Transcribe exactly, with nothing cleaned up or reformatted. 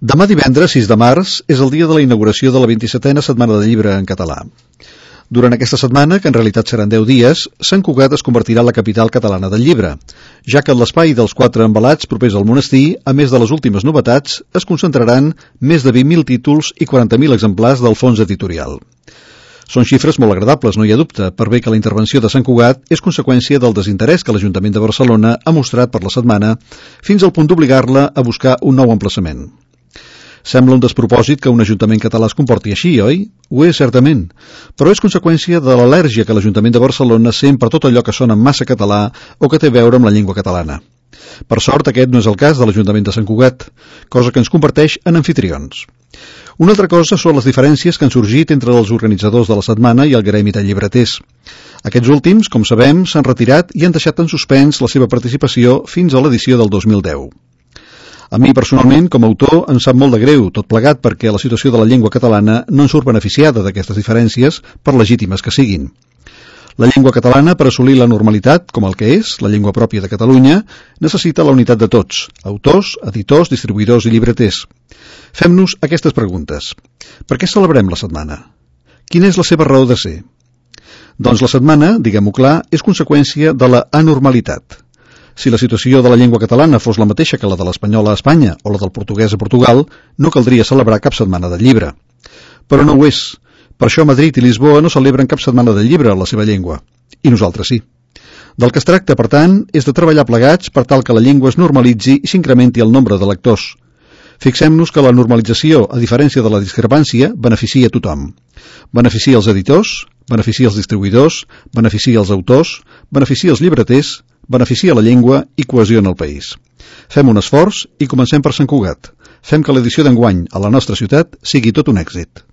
Demà divendres, sis de març, és el dia de la inauguració de la vint-i-setena Setmana del Llibre en català. Durant aquesta setmana, que en realitat seran deu dies, Sant Cugat es convertirà en la capital catalana del llibre, ja que en l'espai dels quatre envelats propers al monestir, a més de les últimes novetats, es concentraran més de vint mil títols i quaranta mil exemplars del fons editorial. Són xifres molt agradables, no hi ha dubte, per bé que la intervenció de Sant Cugat és conseqüència del desinterès que l'Ajuntament de Barcelona ha mostrat per la setmana, fins al punt d'obligar-la a buscar un nou emplaçament. Sembla un despropòsit que un ajuntament català es comporti així, oi? Ho és, certament, però és conseqüència de l'al·lèrgia que l'Ajuntament de Barcelona sent per tot allò que sona massa català o que té a veure amb la llengua catalana. Per sort, aquest no és el cas de l'Ajuntament de Sant Cugat, cosa que ens converteix en anfitrions. Una altra cosa són les diferències que han sorgit entre els organitzadors de la setmana i el gremi de llibreters. Aquests últims, com sabem, s'han retirat i han deixat en suspens la seva participació fins a l'edició del dos mil deu. A mi, personalment, com a autor, em sap molt de greu, tot plegat perquè la situació de la llengua catalana no en surt beneficiada d'aquestes diferències, per legítimes que siguin. La llengua catalana, per assolir la normalitat, com el que és, la llengua pròpia de Catalunya, necessita la unitat de tots, autors, editors, distribuïdors i llibreters. Fem-nos aquestes preguntes. Per què celebrem la setmana? Quina és la seva raó de ser? Doncs la setmana, diguem-ho clar, és conseqüència de la anormalitat. Si la situació de la llengua catalana fos la mateixa que la de l'espanyola a Espanya o la del portuguès a Portugal, no caldria celebrar cap setmana del llibre. Però no ho és. Per això Madrid i Lisboa no celebren cap setmana del llibre a la seva llengua. I nosaltres sí. Del que es tracta, per tant, és de treballar plegats per tal que la llengua es normalitzi i s'incrementi el nombre de lectors. Fixem-nos que la normalització, a diferència de la discrepància, beneficia a tothom. Beneficia els editors, beneficia els distribuïdors, beneficia els autors, beneficia els llibreters, beneficia la llengua i cohesiona el país. Fem un esforç i comencem per Sant Cugat. Fem que l'edició d'enguany a la nostra ciutat sigui tot un èxit.